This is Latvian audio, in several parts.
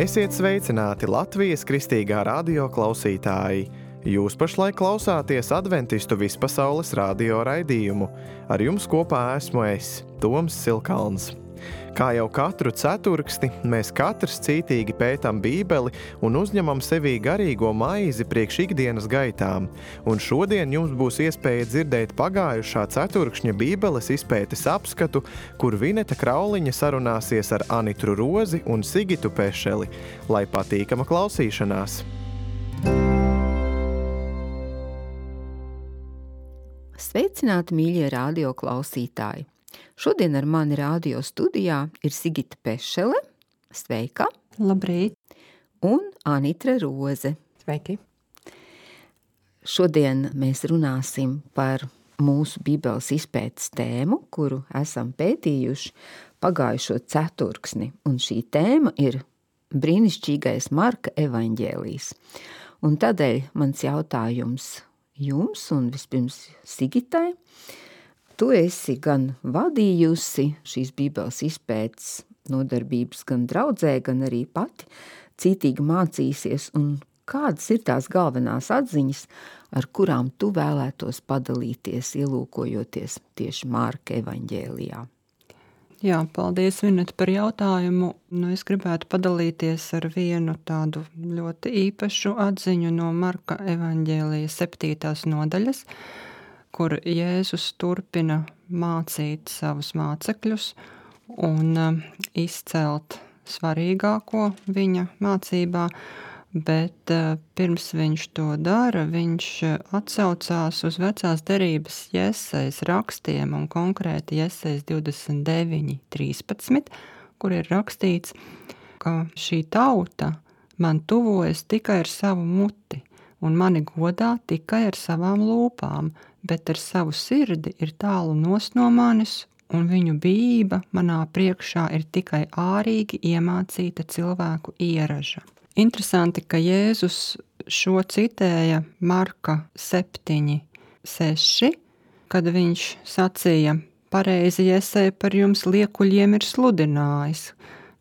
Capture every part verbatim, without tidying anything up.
Esiet sveicināti Latvijas Kristīgā radio klausītāji! Jūs pašlaik klausāties Adventistu vispasaules radio raidījumu. Ar jums kopā esmu es, Toms Silkalns. Kā jau katru ceturksti, mēs katrs cītīgi pētam Bībeli un uzņemam sevī garīgo maizi priekš ikdienas gaitām. Un šodien jums būs iespēja dzirdēt pagājušā ceturkšņa Bībeles izpētes apskatu, kur Vineta Krauliņa sarunāsies ar Anitru Rozi un Sigitu Pešeli. Lai patīkama klausīšanās! Sveicināti, mīļie radio klausītāji! Šodien ar mani radio studijā ir Sigita Pešele, sveika! Labrīt! Un Anitra Roze. Sveiki! Šodien mēs runāsim par mūsu Bībeles izpētes tēmu, kuru esam pētījuši pagājušo ceturksni. Un šī tēma ir brīnišķīgais Marka evaņģēlijs. Un tādēļ mans jautājums jums un vispirms Sigitai. Tu esi gan vadījusi šīs Bībeles izpētes nodarbības gan draudzē, gan arī pati cītīgi mācīsies, un kādas ir tās galvenās atziņas, ar kurām tu vēlētos padalīties, ielūkojoties tieši Marka evaņģēlijā? Jā, paldies, Vineta, par jautājumu. Nu, es gribētu padalīties ar vienu tādu ļoti īpašu atziņu no Marka evaņģēlija septītās nodaļas, kur Jēzus turpina mācīt savus mācekļus un izcelt svarīgāko viņa mācībā, bet pirms viņš to dara, viņš atsaucās uz vecās derības Jesajas rakstiem un konkrēti Jesajas divdesmit deviņi trīspadsmit, kur ir rakstīts, ka šī tauta man tuvojas tikai ar savu muti un mani godā tikai ar savām lūpām, bet ar savu sirdi ir tālu nost no manis, un viņu bijība manā priekšā ir tikai ārīgi iemācīta cilvēku ieraža. Interesanti, ka Jēzus šo citēja Marka septiņi seši, kad viņš sacīja, pareizi Jesaja par jums liekuļiem ir sludinājis,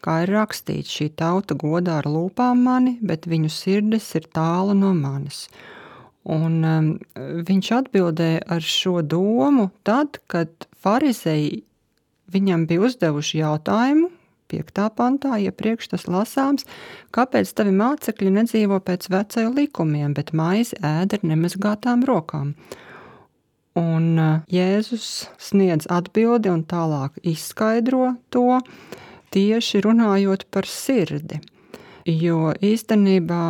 kā ir rakstīts, šī tauta godā ar lūpām mani, bet viņu sirdis ir tālu no manis. Un um, viņš atbildēja ar šo domu tad, kad farizeji viņam bija uzdevuši jautājumu, piektā pantā, iepriekš tas lasāms, kāpēc tavi mācekļi nedzīvo pēc vecajiem likumiem, bet maizi ēd ar nemazgātām rokām. Un uh, Jēzus sniedz atbildi un tālāk izskaidro to, tieši runājot par sirdi, jo īstenībā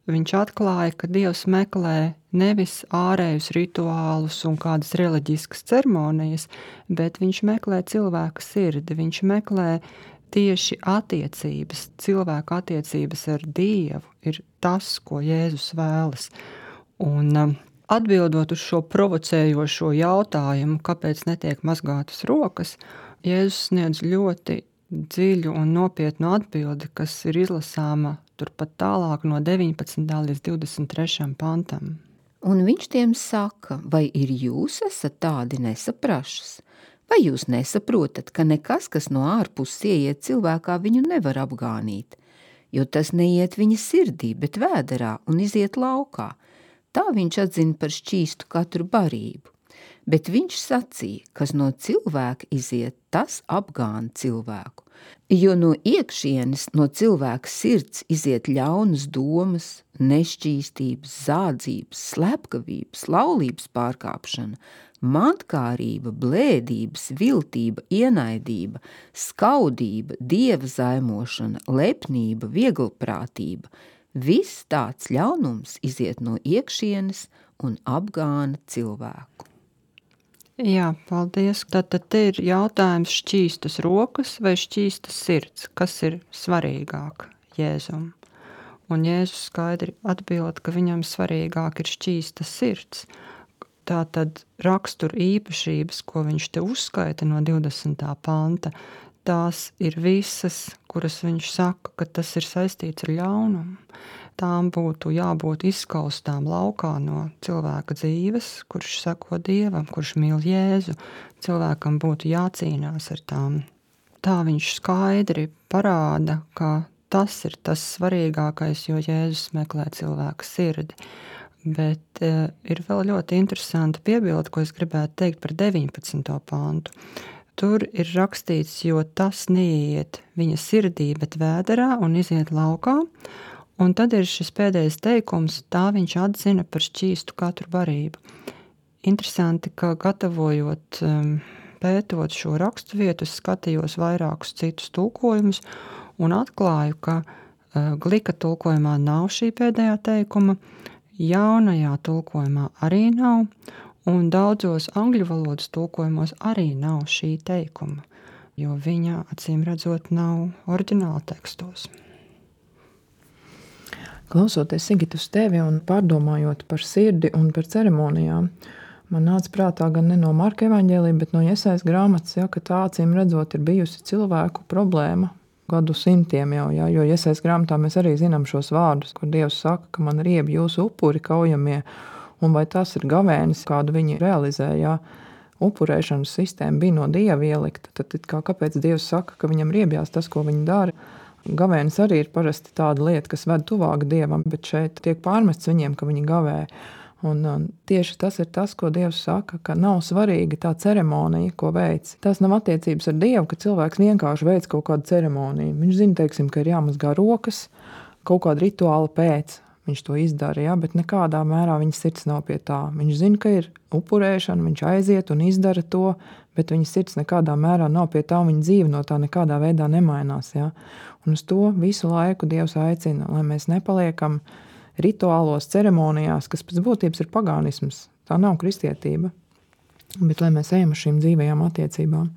viņš atklāja, ka Dievs meklē nevis ārējus rituālus un kādas reliģiskas ceremonijas, bet viņš meklē cilvēka sirdi, viņš meklē tieši attiecības, cilvēka attiecības ar Dievu ir tas, ko Jēzus vēlas. Un atbildot uz šo provocējošo jautājumu, kāpēc netiek mazgātas rokas, Jēzus sniedz ļoti dziļu un nopietnu atbildi, kas ir izlasāma turpat tālāk no deviņpadsmitā līdz divdesmit trešajam pantam. Un viņš tiem saka, vai ir jūs esat tādi nesaprašas? Vai jūs nesaprotat, ka nekas, kas no ārpuses ieiet cilvēkā, viņu nevar apgānīt, jo tas neiet viņa sirdī, bet vēderā un iziet laukā. Tā viņš atzina par šķīstu katru barību. Bet viņš sacīja, kas no cilvēka iziet, tas apgāna cilvēku. Jo no iekšienes, no cilvēka sirds iziet ļaunas domas, nešķīstības, zādzības, slepkavības, laulības pārkāpšana, mantkārība, blēdības, viltība, ienaidība, skaudība, dieva zaimošana, lepnība, vieglprātība. Viss tāds ļaunums iziet no iekšienes un apgāna cilvēku. Jā, paldies. Tātad te ir jautājums šķīstas rokas vai šķīstas sirds, kas ir svarīgāk Jēzum. Un Jēzus skaidri atbild, ka viņam svarīgāk ir šķīsta sirds. Tātad rakstura īpašības, ko viņš te uzskaita no divdesmitā panta, tās ir visas, kuras viņš saka, ka tas ir saistīts ar ļaunumu. Tām būtu jābūt izskaustām laukā no cilvēka dzīves, kurš seko Dievam, kurš mīl Jēzu. Cilvēkam būtu jācīnās ar tām. Tā viņš skaidri parāda, ka tas ir tas svarīgākais, jo Jēzus meklē cilvēka sirdi. Bet uh, ir vēl ļoti interesanta piebilde, ko es gribētu teikt par deviņpadsmito pantu. Tur ir rakstīts, jo tas neiet viņa sirdī, bet vēderā un iziet laukā. Un tad ir šis pēdējais teikums, tā viņš atzina par šķīstu katru barību. Interesanti, ka gatavojot, um, pētot šo rakstu vietu, es skatījos vairākus citus tulkojumus un atklāju, ka uh, glika tulkojumā nav šī pēdējā teikuma, jaunajā tulkojumā arī nav, un daudzos angļu valodas tulkojumos arī nav šī teikuma, jo viņa, acīm redzot, nav oriģināla tekstos. Klausoties, Sigita, uz tevi un pārdomājot par sirdi un par ceremonijām, man nāca prātā gan ne no Marka evaņģēlija, bet no Jesajas grāmatas, ja, ka tā, acīm redzot, ir bijusi cilvēku problēma gadu simtiem jau, ja, jo Jesajas grāmatā mēs arī zinām šos vārdus, kur Dievs saka, ka man rieb jūsu upuri kaujamie, un vai tas ir gavēnis, kādu viņi realizē, ja upurēšanas sistēma bija no Dieva ielikta, tad kā, kāpēc Dievs saka, ka viņam riebjās tas, ko viņi dara? Gavēnis arī ir parasti tāda lieta, kas ved tuvāk Dievam, bet šeit tiek pārmests viņiem, ka viņi gavē. Un, un tieši tas ir tas, ko Dievs saka, ka nav svarīga tā ceremonija, ko veic. Tas nav attiecības ar Dievu, ka cilvēks vienkārši veic kaut kādu ceremoniju. Viņš zina, teiksim, ka ir jāmazgā rokas kaut kāda rituāla pēc. Viņš to izdara, ja, bet nekādā mērā viņa sirds nav pie tā. Viņš zina, ka ir upurēšana, viņš aiziet un izdara to, bet viņa sirds nekādā mērā nav pie tā, un viņa dzīve no tā nekādā veidā nemainās. Ja. Un uz to visu laiku Dievs aicina, lai mēs nepaliekam rituālos ceremonijās, kas pēc būtības ir pagānisms. Tā nav kristietība, bet lai mēs ejam uz šīm dzīvajām attiecībām.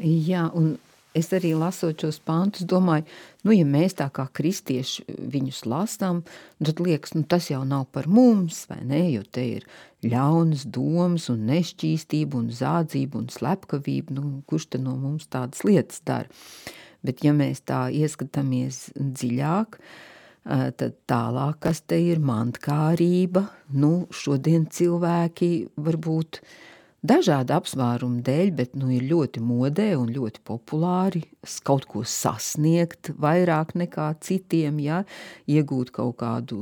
Jā, un es arī lasot šos pantus, domāju, nu, ja mēs tā kā kristieši viņus lasām, tad liekas, nu, tas jau nav par mums, vai ne, jo te ir ļaunas domas un nešķīstība un zādzība un slepkavība, nu, kurš te no mums tādas lietas dara. Bet ja mēs tā ieskatāmies dziļāk, tad tālāk, kas te ir mantkārība, nu, šodien cilvēki varbūt dažādu apsvērumu dēļ, bet nu, ir ļoti modē un ļoti populāri kaut ko sasniegt vairāk nekā citiem, ja? Iegūt kaut kādu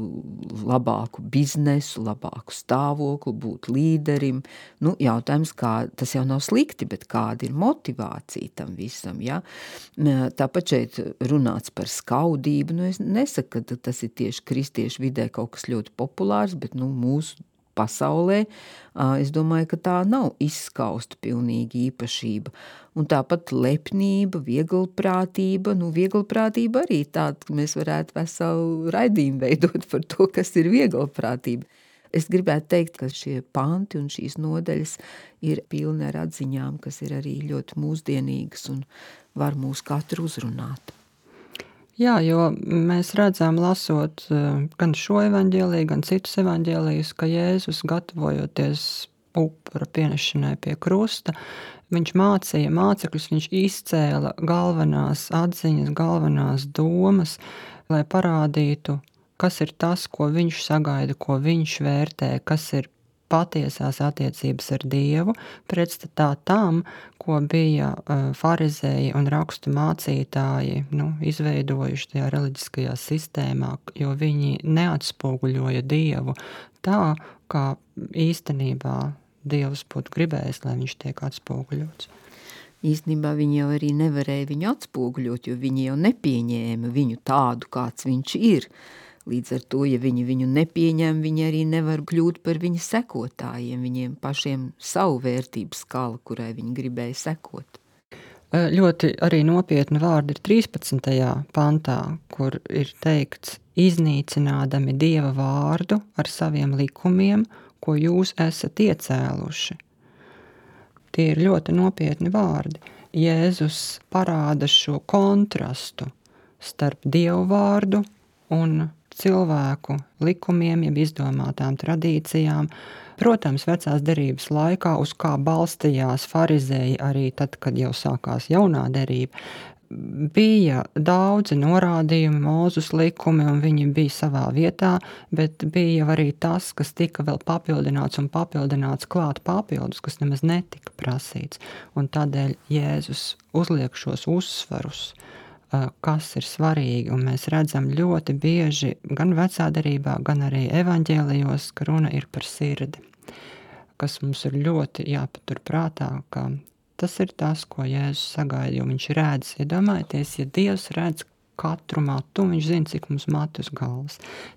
labāku biznesu, labāku stāvokli, būt līderim. Nu, jautājums, kā, tas jau nav slikti, bet kāda ir motivācija tam visam, ja? Tāpat šeit runāts par skaudību, nu, es nesaku, ka tas ir tieši kristiešu vidē kaut kas ļoti populārs, bet nu, mūsu pasaulē, es domāju, ka tā nav izskausta pilnīgi īpašība. Un tāpat lepnība, vieglprātība, nu vieglprātība arī tāda, ka mēs varētu veselu raidījumu veidot par to, kas ir vieglprātība. Es gribētu teikt, ka šie panti un šīs nodaļas ir pilni ar atziņām, kas ir arī ļoti mūsdienīgas un var mūs katru uzrunāt. Jā, jo mēs redzam, lasot gan šo evaņģēliju, gan citus evaņģēlijus, ka Jēzus, gatavojoties upura pienešanai pie krusta, viņš mācīja mācekļus, viņš izcēla galvenās atziņas, galvenās domas, lai parādītu, kas ir tas, ko viņš sagaida, ko viņš vērtē, kas ir patiesās attiecības ar Dievu, pretstatā tam, ko bija uh, farizēji un rakstu mācītāji nu, izveidojuši tajā reliģiskajā sistēmā, jo viņi neatspoguļoja Dievu tā, kā īstenībā Dievs būtu gribējis, lai viņš tiek atspoguļots. Īstenībā viņi jau arī nevarēja viņu atspoguļot, jo viņi jau nepieņēma viņu tādu, kāds viņš ir. Līdz ar to, ja viņi viņu nepieņem, viņi arī nevar kļūt par viņa sekotājiem, viņiem pašiem savu vērtību skala, kurai viņi gribēja sekot. Ļoti arī nopietni vārdi ir trīspadsmitajā pantā, kur ir teikts, iznīcinādami Dieva vārdu ar saviem likumiem, ko jūs esat iecēluši. Tie ir ļoti nopietni vārdi. Jēzus parāda šo kontrastu starp Dievu vārdu un cilvēku likumiem, jeb izdomātām tradīcijām. Protams, vecās derības laikā, uz kā balstījās farizēji arī tad, kad jau sākās jaunā derība, bija daudzi norādījumi, Mūzes likumi, un viņi bija savā vietā, bet bija arī tas, kas tika vēl papildināts un papildināts klāt papildus, kas nemaz netika prasīts. Un tādēļ Jēzus uzliek šos uzsvarus kas ir svarīgi, un mēs redzam ļoti bieži gan vecā derībā, gan arī evaņģēlijos, ka runa ir par sirdi, kas mums ir ļoti jāpatur prātā, ka tas ir tas, ko Jēzus sagaida, jo viņš redz, iedomājieties, ja Dievs redz katru matu, viņš zina, cik mums matu uz galvas.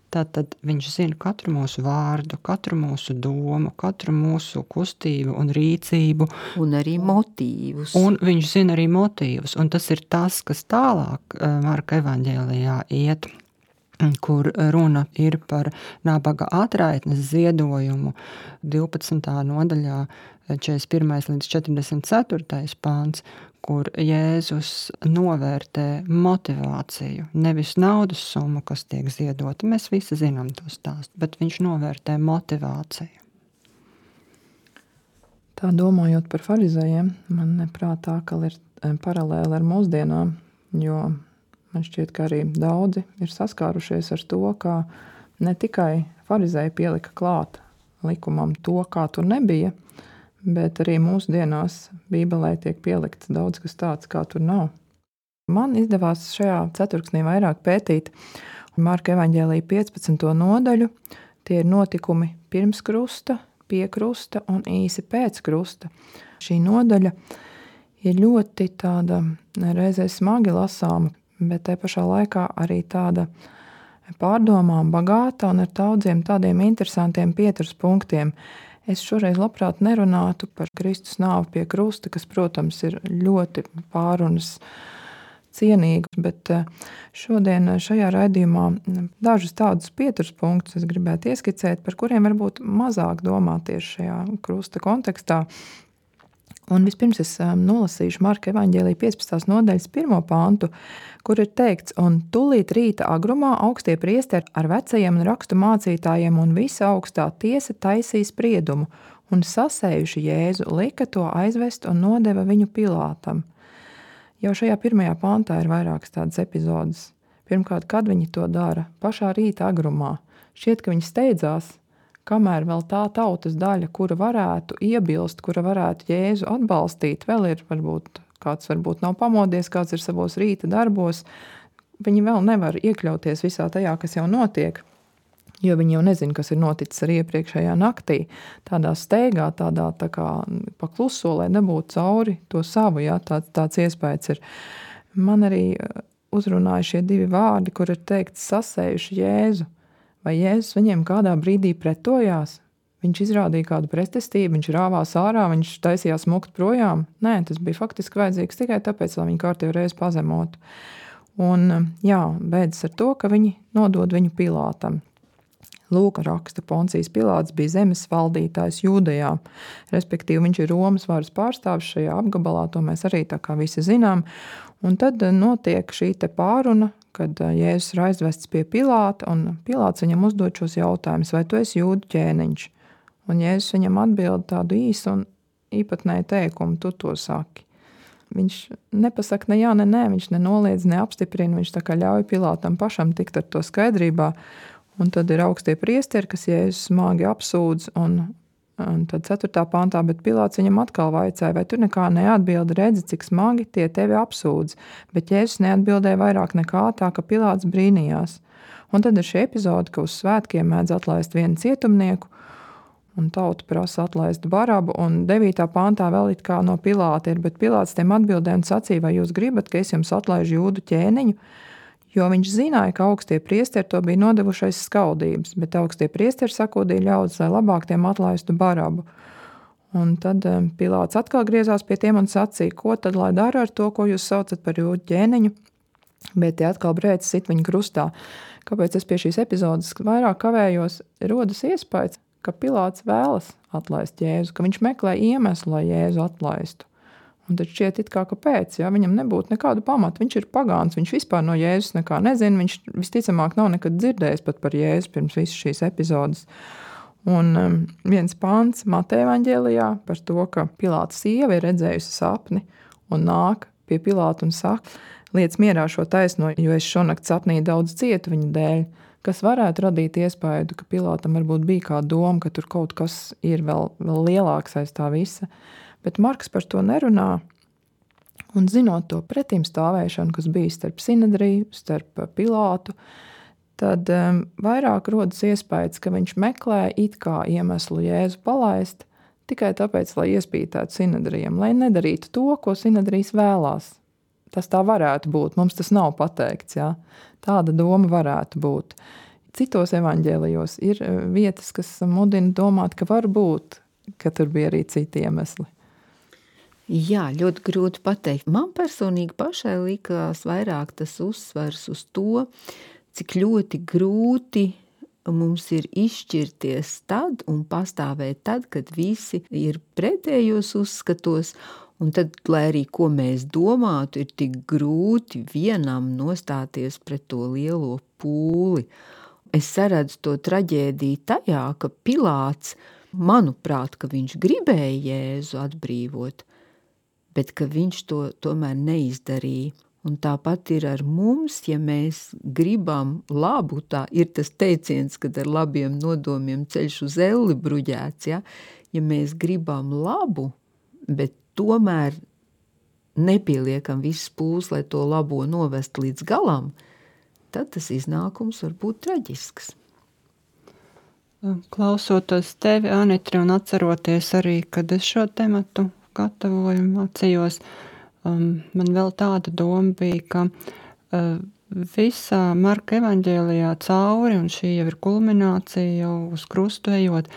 Tātad viņš zina katru mūsu vārdu, katru mūsu domu, katru mūsu kustību un rīcību. Un arī motīvus. Un viņš zina arī motīvus. Un tas ir tas, kas tālāk Marka evaņģēlijā iet, kur runa ir par nabaga atraitnes ziedojumu divpadsmitā nodaļā četrdesmit pirmais līdz četrdesmit ceturtais pāns, kur Jēzus novērtē motivāciju, nevis naudas summu, kas tiek ziedota. Mēs visi zinām to stāstu, bet viņš novērtē motivāciju. Tā domājot par farizējiem, man prātā, ka ir paralēli ar mūsdienām, jo man šķiet, ka arī daudzi ir saskārušies ar to, ka ne tikai farizēji pielika klāt likumam to, kā tur nebija, bet arī mūsdienās Bībelē tiek pielikts daudz kas tāds, kā tur nav. Man izdevās šajā ceturksnī vairāk pētīt Marka evaņģēlija piecpadsmito nodaļu. Tie ir notikumi pirms krusta, pie krusta un īsi pēc krusta. Šī nodaļa ir ļoti tāda reizē smagi lasāma, bet te pašā laikā arī tāda pārdomām bagāta un ar daudziem tādiem interesantiem pieturas punktiem. Es šoreiz labprāt nerunātu par Kristus nāvi pie krusta, kas, protams, ir ļoti pārunas cienīgs, bet šodien šajā raidījumā dažus tādus pieturas punktus es gribētu ieskicēt, par kuriem varbūt mazāk domā tieši šajā krusta kontekstā. Un vispirms es nolasīšu Marka evaņģēlija piecpadsmitās nodaļas pirmo pantu, kur ir teikts: un tūlīt rīta agrumā augstie priesteri ar vecajiem un rakstu mācītājiem un visa augstā tiesa taisīja spriedumu, un sasējuši Jēzu, lika to aizvest un nodeva viņu Pilātam. Jau šajā pirmajā pantā ir vairākas tādas epizodes. Pirmkārt, kad viņi to dara, pašā rīta agrumā. Šķiet, ka viņi steidzās, kamēr vēl tā tautas daļa, kura varētu iebilst, kura varētu Jēzu atbalstīt, vēl ir varbūt kāds varbūt nav pamodies, kāds ir savos rīta darbos, viņi vēl nevar iekļauties visā tajā, kas jau notiek, jo viņi jau nezina, kas ir noticis ar iepriekšējā naktī. Tādā steigā, tādā tā kā pakluso, lai nebūtu cauri to savu, jā, tāds, tāds iespējas ir. Man arī uzrunāja šie divi vārdi, kur ir teikts sasējuši Jēzu. Vai Jēzus viņiem kādā brīdī pretojās? Viņš izrādīja kādu pretestību, viņš rāvās ārā, viņš taisījās mukt projām? Nē, tas bija faktiski vajadzīgs tikai tāpēc, lai viņu kārtīgi reiz pazemotu. Un jā, beidzas ar to, ka viņi nodod viņu Pilātam. Lūk, raksta, Poncijs Pilāts bija zemes valdītājs Jūdejā, respektīvi viņš ir Romas varas pārstāvis šajā apgabalā, to mēs arī tā kā visi zinām. Un tad notiek šī te pāruna, kad Jēzus ir aizvests pie Pilāta, un Pilāts viņam uzdod šos jautājumus, vai tu esi jūdu ķēniņš? Un Jēzus viņam atbild tādu īsu un īpatnēju teikumu, tu to saki. Viņš nepasaka ne jā, ne nē, viņš nenoliedz, neapstiprina, viņš tā kā ļauj Pilātam pašam tikt ar to skaidrībā. Un tad ir augstie priesteri, kas Jēzus smagi apsūdz, un, un tad ceturtā pantā, bet Pilāts viņam atkal vaicāja, vai tu nekā neatbildi, redzi, cik smagi tie tevi apsūdz, bet Jēzus neatbildēja vairāk nekā, tā ka Pilāts brīnījās. Un tad ir šī epizode, ka uz svētkiem mēdz atlaist vienu cietumnieku, un tauta prasa atlaist Barabu, un devītā pantā vēl it kā no Pilāta ir, bet Pilāts tiem atbildēja un sacīja, vai jūs gribat, ka es jums atlaižu jūdu ķēniņu, jo viņš zināja, ka augstie priesteri to bija nodevušais skaudības, bet augstie priesteri sakūdīja ļaudis, lai labāk tiem atlaistu Barabu. Un tad Pilāts atkal griezās pie tiem un sacīja, ko tad lai dara ar to, ko jūs saucat par jūdu ķēniņu, bet tie atkal brēcis sit viņu krustā. Kāpēc es pie šīs epizodes vairāk kavējos, rodas iespējas, ka Pilāts vēlas atlaist Jēzu, ka viņš meklē iemeslu, lai Jēzu atlaistu. Un tad šķiet it kā kāpēc, ja viņam nebūtu nekādu pamatu. Viņš ir pagāns, viņš vispār no Jēzus nekā nezina, viņš visticamāk nav nekad dzirdējis pat par Jēzu pirms visas šīs epizodes. Un um, viens pants Mateja evaņģēlijā par to, ka Pilāta sieva ir redzējusi sapni un nāk pie Pilāta un saka, liec mierā šo taisno, jo es šonakt sapnī daudz cietu viņa dēļ, kas varētu radīt iespēju, ka Pilātam varbūt bija kāda doma, ka tur kaut kas ir vēl, vēl lielāks aiz tā visa. Bet Marks par to nerunā, Un zinot to pretim stāvēšanu, kas bija starp Sinedriju, starp Pilātu, tad um, vairāk rodas iespējas, ka viņš meklē it kā iemeslu Jēzu palaist, tikai tāpēc, lai iespītētu Sinedrijam, lai nedarītu to, ko Sinedrijs vēlās. Tas tā varētu būt, mums tas nav pateikts, jā. Tāda doma varētu būt. Citos evaņģēlijos ir vietas, kas mudina domāt, ka var būt, ka tur bija arī citi iemesli. Jā, ļoti grūti pateikt. Man personīgi pašai likās vairāk tas uzsvers uz to, cik ļoti grūti mums ir izšķirties tad un pastāvēt tad, kad visi ir pretējos uzskatos, un tad, lai arī ko mēs domātu, ir tik grūti vienam nostāties pret to lielo pūli. Es saredzu to traģēdiju tajā, ka Pilāts, manuprāt, ka viņš gribēja Jēzu atbrīvot, bet ka viņš to tomēr neizdarīja. Un tāpat ir ar mums, ja mēs gribam labu, tā ir tas teiciens, kad ar labiem nodomiem ceļš uz elli bruģēts, ja? Ja mēs gribam labu, bet tomēr nepieliekam visas pūles, lai to labo novest līdz galam, tad tas iznākums var būt traģisks. Klausoties tevi, Anitra, un atceroties arī, kad es šo tematu gatavoju, mācījos, um, man vēl tāda doma bija, ka uh, visā Marka evaņģēlijā cauri, un šī jau ir kulminācija jau uz krustu ejot,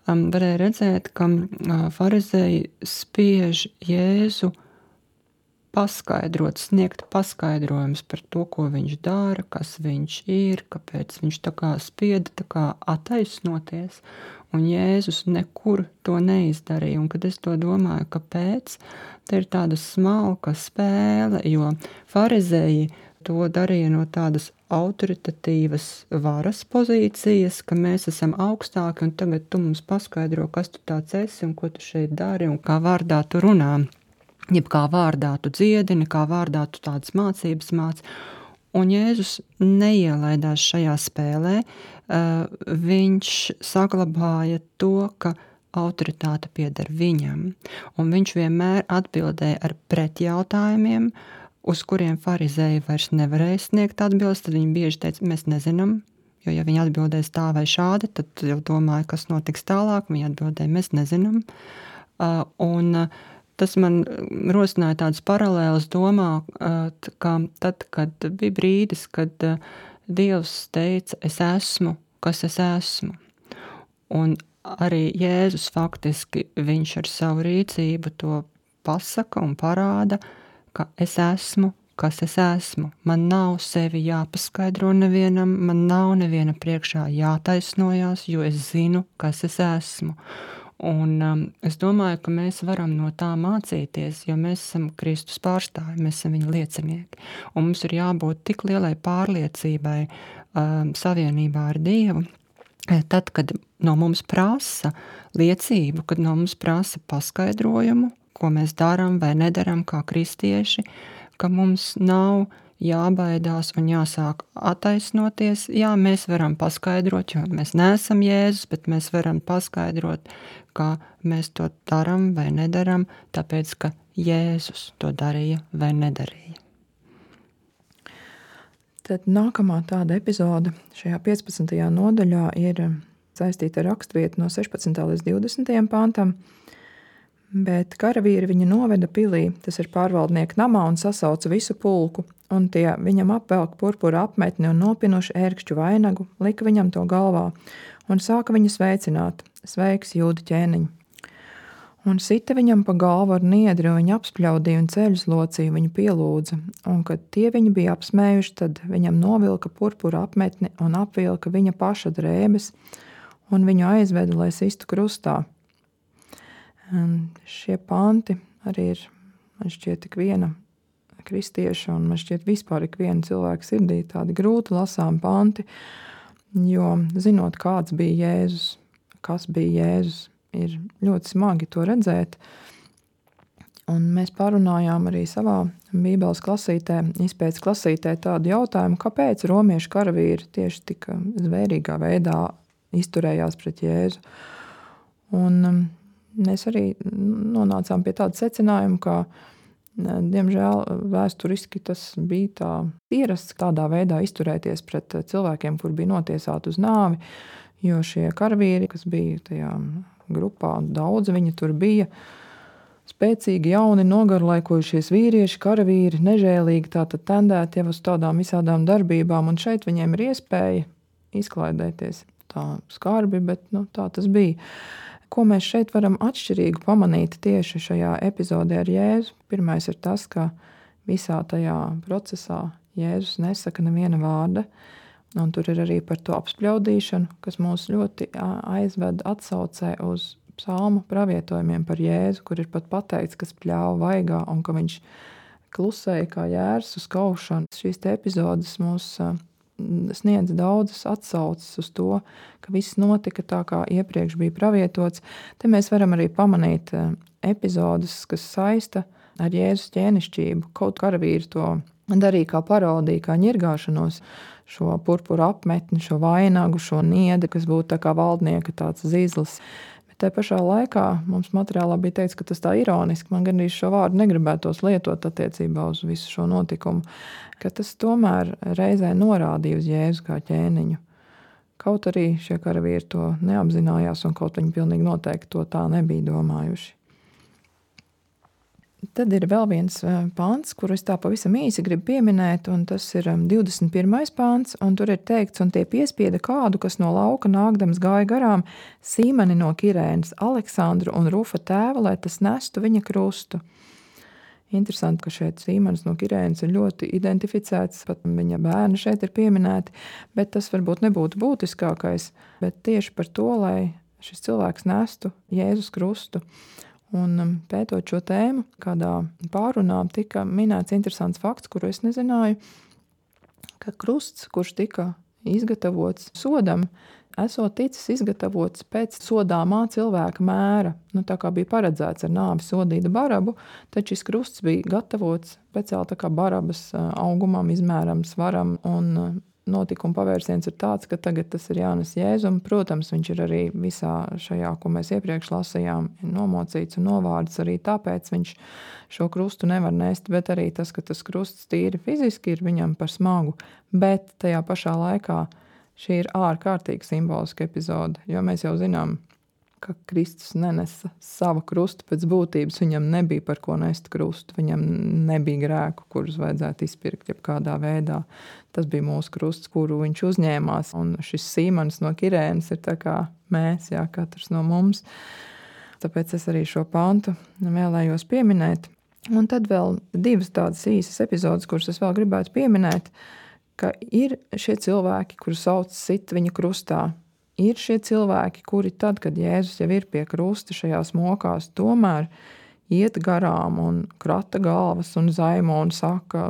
um, varēja redzēt, ka uh, farizēji spiež Jēzu paskaidrot, sniegt paskaidrojumus par to, ko viņš dara, kas viņš ir, kāpēc viņš tā kā spieda tā kā attaisnoties, un Jēzus nekur to neizdarīja. Un kad es to domāju, kāpēc, te ir tāda smalka spēle, jo farizēji to darīja no tādas autoritatīvas varas pozīcijas, ka mēs esam augstāki, un tagad tu mums paskaidro, kas tu tāds esi, un ko tu šeit dari, un kā vārdā tu runā. Jeb kā vārdā tu dziedini, kā vārdā tu tādas mācības māc. Un Jēzus neielaidās šajā spēlē, uh, viņš saglabāja to, ka autoritāte pieder viņam. Un viņš vienmēr atbildēja ar pretjautājumiem, uz kuriem farizēji vairs nevarēja sniegt atbildes, tad viņi bieži teica, mēs nezinām, jo ja viņi atbildēs tā vai šādi, tad jau domāju, kas notiks tālāk, viņi atbildēja, mēs nezinām. Uh, un uh, Tas man rosināja tādas paralēlas domā, ka tad, kad bija brīdis, kad Dievs teica, es esmu, kas es esmu. Un arī Jēzus faktiski, viņš ar savu rīcību to pasaka un parāda, ka es esmu, kas es esmu. Man nav sevi jāpaskaidro nevienam, man nav neviena priekšā jātaisnojās, jo es zinu, kas es esmu. Un um, es domāju, ka mēs varam no tā mācīties, jo mēs esam Kristus pārstāvi, mēs esam viņa liecinieki. Un mums ir jābūt tik lielai pārliecībai um, savienībā ar Dievu, tad, kad no mums prasa liecību, kad no mums prasa paskaidrojumu, ko mēs darām vai nedaram kā kristieši, ka mums nav jābaidās un jāsāk attaisnoties. Jā, mēs varam paskaidrot, jo mēs neesam Jēzus, bet mēs varam paskaidrot, kā mēs to daram vai nedaram, tāpēc, ka Jēzus to darīja vai nedarīja. Tad nākamā tāda epizode šajā piecpadsmitajā nodaļā ir saistīta ar raksturvietu no sešpadsmitā līdz divdesmitajam pantam, bet karavīri viņu noveda pilī, tas ir pārvaldnieka namā, un sasauca visu pulku, un tie viņam apvelk purpura apmetni un nopinuši ērkšķu vainagu, lika viņam to galvā, un sāka viņu sveicināt, sveiks, Jūda ķēniņ. Un sita viņam pa galvu ar niedri, un viņu apspļaudīja un ceļus locīja, viņu pielūdza, un kad tie viņu bija apsmējuši, tad viņam novilka purpura apmetni un apvilka viņa paša drēbes, un viņu aizveda, lai sistu krustā. Un šie panti arī ir, man šķiet, tik viena kristieša, un man šķiet vispār ik viena cilvēka sirdī tādi grūti lasām panti, jo zinot, kāds bija Jēzus, kas bija Jēzus, ir ļoti smagi to redzēt. Un mēs parunājām arī savā Bībeles klasītē, izpētes klasītē tādu jautājumu, kāpēc romiešu karavīri tieši tik zvērīgā veidā izturējās pret Jēzu. Un mēs arī nonācām pie tāda secinājuma, ka Diemžēl vēsturiski tas bija tā ierasts tādā veidā izturēties pret cilvēkiem, kur bija notiesāti uz nāvi, jo šie karavīri, kas bija tajā grupā, daudz viņi tur bija, spēcīgi, jauni, nogarlaikojušies vīrieši, karavīri, nežēlīgi tātad tendēti jau uz tādām visādām darbībām, un šeit viņiem ir iespēja izklaidēties. Tā skarbi, bet nu, tā tas bija. Ko mēs šeit varam atšķirīgu pamanīt tieši šajā epizodē ar Jēzu? Pirmais ir tas, ka visā tajā procesā Jēzus nesaka neviena vārda, un tur ir arī par to apspļaudīšanu, kas mūs ļoti aizved atsaucē uz psalmu pravietojumiem par Jēzu, kur ir pat pateikts, kas pļāva vaigā un ka viņš klusēja kā jērs uz kaušanu. Šīs te epizodes mūs sniedz daudzas atsauces uz to, ka viss notika tā, kā iepriekš bija pravietots. Te mēs varam arī pamanīt epizodes, kas saista ar Jēzus ķēnišķību. Kaut karavīri to darīja kā parodiju, kā ņirgāšanos, šo purpura apmetni, šo vainagu, šo niedi, kas būtu tā kā valdnieka tāds zīzlis. Bet te pašā laikā mums materiālā bija teikts, ka tas tā ironiski, man gan arī šo vārdu negribētos lietot attiecībā uz visu šo notikumu, ka tas tomēr reizē norādīja uz Jēzu kā ķēniņu. Kaut arī šie karavīri to neapzinājās un kaut viņi pilnīgi noteikti to tā nebija domājuši. Tad ir vēl viens pāns, kuru es tā pavisam īsi gribu pieminēt, un tas ir divdesmit pirmais pāns, un tur ir teikts, un tie piespieda kādu, kas no lauka nākdams gāja garām, Sīmeni no Kirēnas, Aleksandru un Rufa tēvu, lai tas nestu viņa krustu. Interesanti, ka šeit Sīmenis no Kirēnas ir ļoti identificēts, pat viņa bērni šeit ir pieminēti, bet tas varbūt nebūtu būtiskākais, bet tieši par to, lai šis cilvēks nestu Jēzus krustu. Un pētot šo tēmu, kādā pārunā tika minēts interesants fakts, kuru es nezināju, ka krusts, kurš tika izgatavots sodam, esot ticis izgatavots pēc sodāmā cilvēka mēra. Nu, tā kā bija paredzēts ar nāvi sodīta Barabu, tad šis krusts bija gatavots speciāli tā kā Barabas augumam, izmēram, svaram, un notikuma pavērsiens ir tāds, ka tagad tas ir jānes Jēzum. Protams, viņš ir arī visā šajā, ko mēs iepriekš lasījām, nomocīts un novārds, arī tāpēc viņš šo krustu nevar nest, bet arī tas, ka tas krusts tīri fiziski ir viņam par smagu, bet tajā pašā laikā šī ir ārkārtīgi simboliska epizode, jo mēs jau zinām, ka Kristus nenesa savu krustu pēc būtības, viņam nebija par ko nest krustu, viņam nebija grēku, kurus vajadzētu izpirkt jebkādā veidā. Tas bija mūsu krusts, kuru viņš uzņēmās, un šis Sīmanis no Kirēnas ir tā kā mēs, jā, katrs no mums. Tāpēc es arī šo pantu vēlējos pieminēt. Un tad vēl divas tādas īsas epizodes, kuras es vēl gribētu pieminēt, ka ir šie cilvēki, kuri sauc sit viņa krustā. Ir šie cilvēki, kuri tad, kad Jēzus jau ir pie krusta šajās mokās, tomēr iet garām un krata galvas un zaimo un saka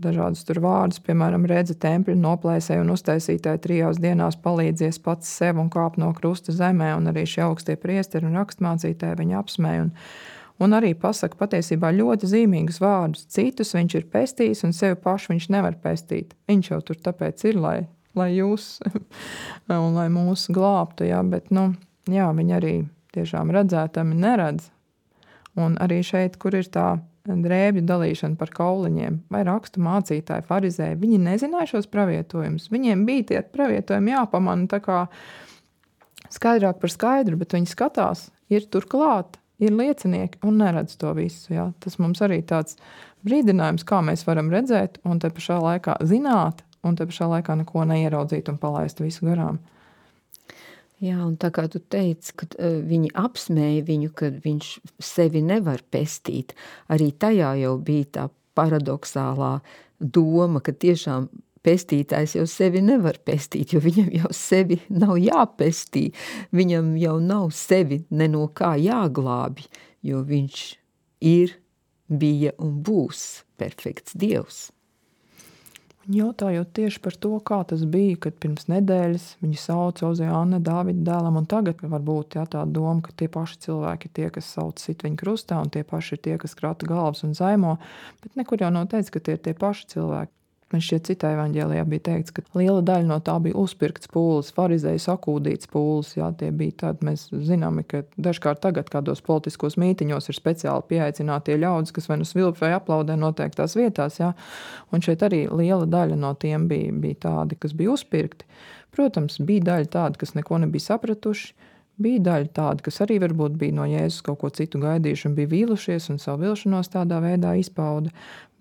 dažādas tur vārdus, piemēram, redzi tempļu noplēsēju un uztaisītāji trijās dienās palīdzies pats sev un kāp no krusta zemē, un arī šie augstie priesteri un rakstmācītāji viņu apsmēja un, un arī pasaka patiesībā ļoti zīmīgus vārdus. Citus viņš ir pestījis un sevi pašu viņš nevar pestīt. Viņš jau tur tāpēc ir, lai lai jūs un lai mūs glābtu, jā, bet, nu, jā, viņi arī tiešām redzētami neredz. Un arī šeit, kur ir tā drēbju dalīšana par kauliņiem, vai rakstu mācītāji, farizēji, viņi nezināja šos pravietojumus. Viņiem bija tie pravietojumi jāpamana tā kā skaidrāk par skaidru, bet viņi skatās, ir turklāt, ir liecinieki un neredz to visu, jā. Tas mums arī tāds brīdinājums, kā mēs varam redzēt un te pašā laikā zināt, un te pašā laikā neko neieraudzīt un palaist visu garām. Jā, un tā kā tu teici, ka uh, viņi apsmēja viņu, ka viņš sevi nevar pestīt, arī tajā jau bija tā paradoxālā doma, ka tiešām pestītājs jau sevi nevar pestīt, jo viņam jau sevi nav jāpestī, viņam jau nav sevi ne no kā jāglābi, jo viņš ir, bija un būs perfekts Dievs. Jautājot tieši par to, kā tas bija, kad pirms nedēļas viņi sauca Ozeāna Dāvida dēlam, un tagad varbūt jā, tā doma, ka tie paši cilvēki ir tie, kas sauc sit viņu krustā, un tie paši ir tie, kas krata galvas un zaimo, bet nekur jau nav teicis, ka tie ir tie paši cilvēki. Man šķiet, citā evaņģēlijā bija teikts, ka liela daļa no tā bija uzpirkts pūles, farizēju sakūdīts pūles. Jā, tie bija tādi, mēs zinām, ka dažkārt tagad kādos politiskos mītiņos ir speciāli pieaicinātie ļaudis, kas vai nu svilp vai aplaudē noteiktās vietās. Jā. Un šeit arī liela daļa no tiem bija, bija tādi, kas bija uzpirkti. Protams, bija daļa tādi, kas neko nebija sapratuši. Bija daļa tāda, kas arī varbūt bija no Jēzus kaut ko citu gaidījuši un bija vīlušies un savu vilšanos tādā veidā izpauda.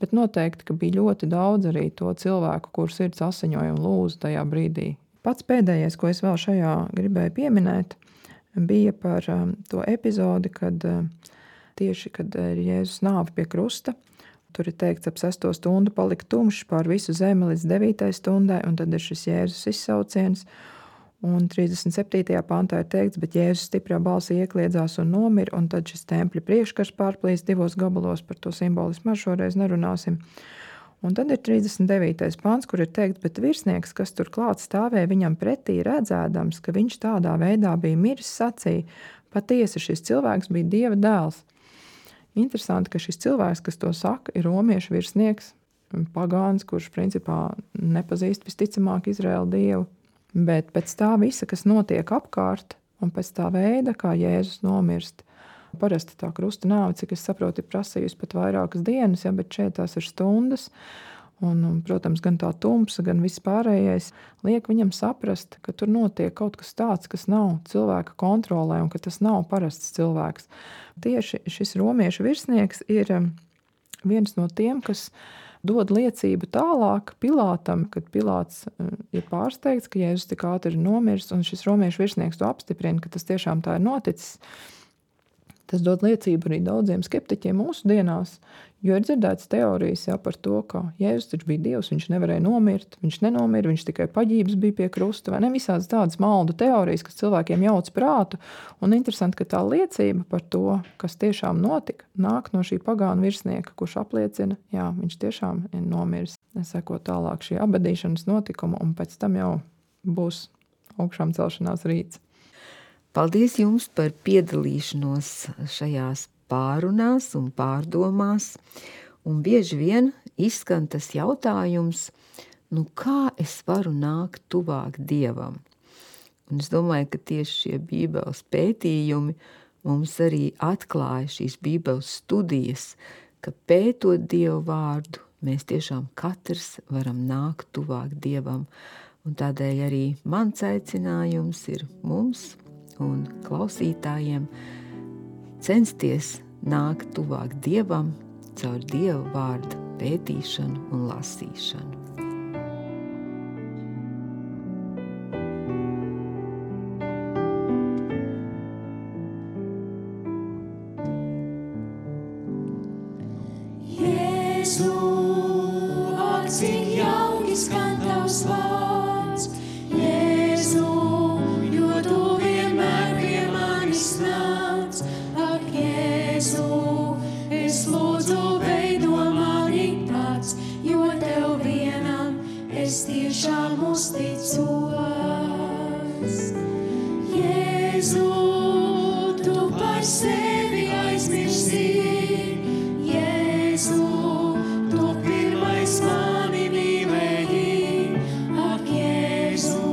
Bet noteikti, ka bija ļoti daudz arī to cilvēku, kur sirds asiņoja un lūza tajā brīdī. Pats pēdējais, ko es vēl šajā gribēju pieminēt, bija par um, to epizodi, kad uh, tieši, kad ir Jēzus nāve pie krusta. Tur ir teikts, ap sesto stundu palika tumšs pār visu zemi līdz devītai stundai, un tad ir šis Jēzus izsauciens. Un trīsdesmit septītajā pantā ir teikts, bet Jēzus stiprā balsī iekliedzās un nomira, un tad šis tempļa priekškars pārplīst divos gabalos, par to simbolismu ar šoreiz nerunāsim. Un tad ir trīsdesmit devītais pants, kur ir teikts, bet virsnieks, kas tur klāt stāvēja viņam pretī redzēdams, ka viņš tādā veidā bija miris, sacīja, patiesi šis cilvēks bija Dieva dēls. Interesanti, ka šis cilvēks, kas to saka, ir romiešu virsnieks, pagāns, kurš principā nepazīst visticamāk Izraēlu Dievu. Bet pēc tā visa, kas notiek apkārt, un pēc tā veida, kā Jēzus nomirst, parasti tā krusta nāve, cik es saprotu, ir prasījusi pat vairākas dienas, ja, bet šeit tās ir stundas, un, un, protams, gan tā tumsa, gan viss pārējais liek viņam saprast, ka tur notiek kaut kas tāds, kas nav cilvēka kontrolē, un ka tas nav parasts cilvēks. Tieši šis romiešu virsnieks ir viens no tiem, kas dod liecību tālāk Pilātam, kad Pilāts ir pārsteigts, ka Jēzus tik ātri ir nomiris, un šis romiešu virsnieks to apstiprina, ka tas tiešām tā ir noticis. Tas dod liecību arī daudziem skeptiķiem mūsu dienās, jo ir dzirdēts teorijas jā, par to, ka Jēzus taču bija Dievs, viņš nevarēja nomirt, viņš nenomira, viņš tikai paģības bija pie krusta, vai ne visādas tādas maldu teorijas, kas cilvēkiem jauc prātu, un interesanti, ka tā liecība par to, kas tiešām notika, nāk no šī pagāna virsnieka, kurš apliecina, jā, viņš tiešām ir nomiris. Seko tālāk šī abadīšanas notikuma, un pēc tam jau būs augšām celšanās rīts. Paldies jums par piedalīšanos šajās pārunās un pārdomās, un bieži vien izskan tas jautājums, nu kā es varu nākt tuvāk Dievam? Un es domāju, ka tieši šie Bībeles pētījumi mums arī atklāja šīs Bībeles studijas, ka pētot Dievu vārdu, mēs tiešām katrs varam nākt tuvāk Dievam, un tādēļ arī mans aicinājums ir mums un klausītājiem censties nākt tuvāk Dievam caur Dieva vārda pētīšanu un lasīšanu. Jēzu, ak, cik jauki skan tavs vārds, Jēzu, jo tu vienmēr pie manis nāc, ak, Jēzu, es lūdzu veido mani pats, jo tev vienam es tiešām uzticos. Jēzu, tu par sevi aizmirsti, Jēzu, tu pirmais mani mīlēji, ak, Jēzu,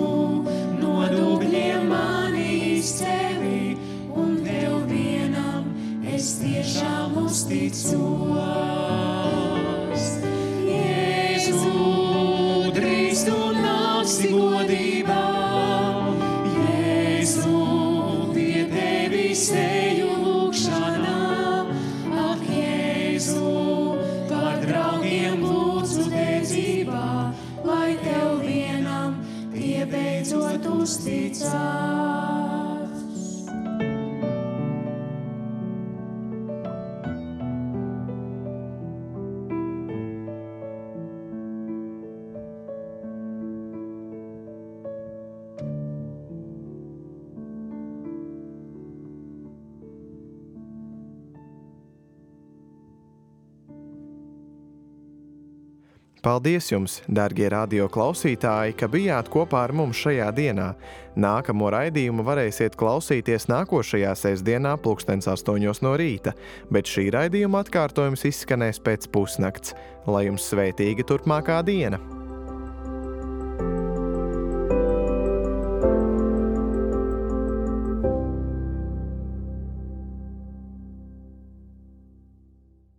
no dubļiem mani izcēli, un tev vienam es tiešām uzticos. Jēzu, drīz tu nāksi godībā, Jēzu, pie tevis eju lūgšanā, ak, Jēzu, par draugiem lūdzu dedzībā, lai tev vienam tie beidzot uzticās. Paldies jums, darbie radio klausītāji, ka bijāt kopā ar mums šajā dienā. Nākamo raidījumu varēsiet klausīties nākošajā sestdienā pulkstens astoņos no rīta, bet šī raidījuma atkārtojums izskanēs pēc pusnakts. Lai jums svētīga turpmākā diena!